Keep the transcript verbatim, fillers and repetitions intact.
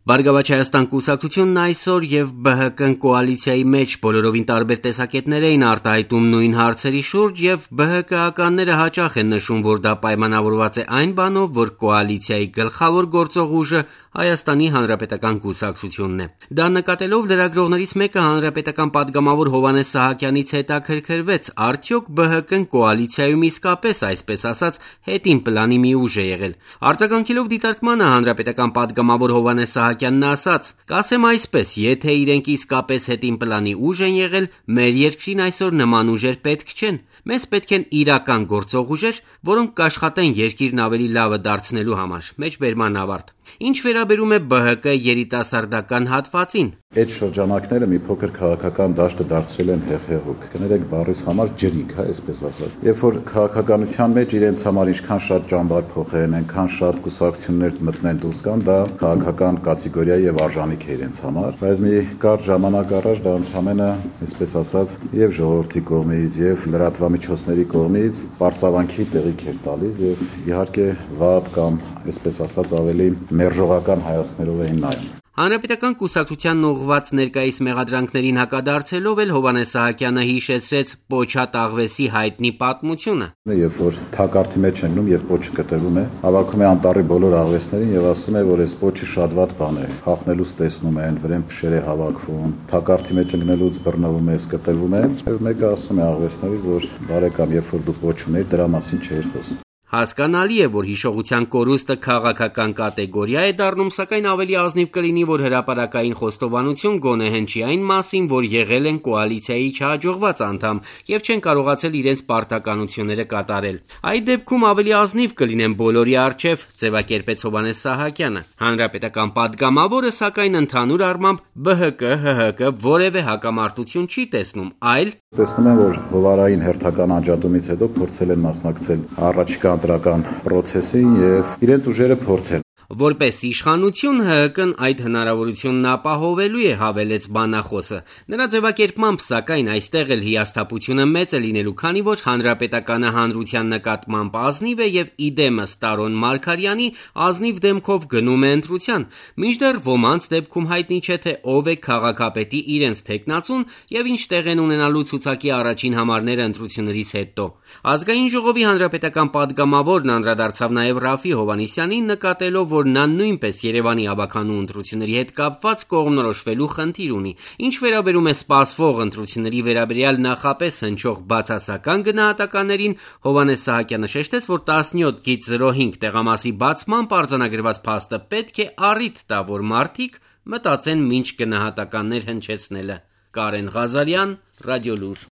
Բարգավաճ Հայաստան կուսակցությունն այսօր եւ Բ Հ Կ-ն կոալիցիայի մեջ բոլորովին տարբեր տեսակետներ էին արտահայտում նույն հարցերի շուրջ եւ Բ Հ Կ-ականները հաճախ են նշում, որ դա պայմանավորված է այն բանով, որ կոալիցիայի գլխավոր գործող ուժը Հայաստանի Հանրապետական կուսակցությունն է։ Դա նկատելով լրագրողներից մեկը հանրապետական պատգամավոր Հովհաննես Սահակյանից հետաքրքրվեց, արդյոք Բ Հ Կ-ն կոալիցիայում իսկապես, այսպես ասած, հետին պլանի մի ուժ է եղել։ Արձագանքելով դիտարկմանը հանրապետական պատգամավոր Հովհաննես Սահակյանն ասաց. «Կասեմ այսպես, եթե իրենք իսկապես հետին պլանի ուժ են եղել, մեր երկրին այսօր նման ուժեր պետք չեն։ Մեզ պետք են իրական գործող ուժեր, որոնք կաշխատեն երկիրն ավելի լավը դարձնելու համար»։ Մեջբերման ավարտ։ Ինչ վերաբերում է Բ Հ Կ երիտասարդական հատվածին, այդ շրջանակները մի փոքր քաղաքական դաշտը դարձրել են հեղեղուկ։ Կներեք բառիս համար ջրիկ, հա, այսպես ասած։ Երբ որ քաղաքականության մեջ իրենց համար ինչքան շատ ճամբար փոխեն, այնքան շատ կուսակցություններ մտնեն դուրս գան, դա քաղաքական կատեգորիա եւ արժանիք է իրենց համար։ Բայց մի կարճ ժամանակ առաջ դա ընդհանրապես, այսպես ասած, եւ ժողովրդի կողմից, եւ լրատվամիջոցների կողմից պարսավանքի տեղիք էր տալիս եւ իհարկե վատ կամ, այսպես ասած, ավելի մերժողական հայացքներով էին նայում։ Հանրապետական կուսակցությանն ուղղված ներկայիս մեղադրանքներին հակադարձելով էլ Հովհաննես Սահակյանը հիշեցրեց Պոչատ աղվեսի հայտնի պատմությունը։ Երբ որ թակարդի մեջ են գնում եւ պոչը կտրվում է, հավաքում է անտառի բոլոր աղվեսներին եւ ասում է, որ այս պոչը շատ վատ բան է։ Խախնելուց տեսնում են, վրան փշեր է հավաքվում, թակարդի մեջ ընկնելուց բռնվում է, կտրվում է, եւ մեկը ասում է աղվեսներից, որ բարեկամ, երբ որ դու պոչ ունեիր, դրա մասին չէր խոսում։ Հասկանալի է, որ հիշողության կորուստը քաղաքական կատեգորիա է դառնում, սակայն ավելի ազնիվ կլինի, որ հրապարակային խոստովանություն գոնե հնչի այն մասին, որ եղել են կոալիցիայի չհաջողված անդամ եւ չեն կարողացել իրենց պարտականությունները կատարել։ Այդ դեպքում ավելի ազնիվ կլինեն բոլորի առջև, ձևակերպեց Հովհաննես Սահակյանը։ Հանրապետական պատգամավորը, սակայն ընդհանուր առմամբ Բ Հ Կ, Հ Հ Կ որևէ հակամարտություն չի տեսնում, այլ տեսնում են, որ հովարային հերթական անջատումից հետո փորձել են մասնակցել առաջիկա ընտրական պրոցեսին եւ իրենց ուժերը փորձել։ Որպես իշխանություն Հ Հ Կ-ն այդ հնարավորությունն ապահովելու է, հավելեց բանախոսը։ Նրա ձևակերպմամբ, սակայն, այստեղ էլ հիասթափությունը մեծ է լինելու, քանի որ հանրապետականը հանրության նկատմամբ ազնիվ է եւ իդեմս Տարոն Մարգարյանի ազնիվ դեմքով գնում է ընտրության, մինչդեռ ոմանց դեպքում հայտնի չէ, թե ով է քաղաքապետի իրենց թեկնածուն եւ ինչ տեղ են ունենալու ցուցակի առաջին համարները ընտրություններից հետո։ Ազգային ժողովի հանրապետական պատգամավորն անդրադարձավ նաեւ Ռաֆի Հովհաննիսյանին, նկատելով, որ նա նույնպես Երևանի ավականու ընտրությունների հետ կապված կողմնորոշվելու խնդիր ունի։ Ինչ վերաբերում է սպասվող ընտրությունների վերաբերյալ նախապես հնչող բացասական գնահատականներին, Հովհաննես Սահակյանը շեշտեց, որ տասնյոթ զրո հինգ տեղամասի բացմամբ արձանագրված փաստը պետք է առիթ տա, որ մարդիկ մտածեն մինչ գնահատականներ հնչեցնելը։ Կարեն Ղազարյան, Ռադիոլուր։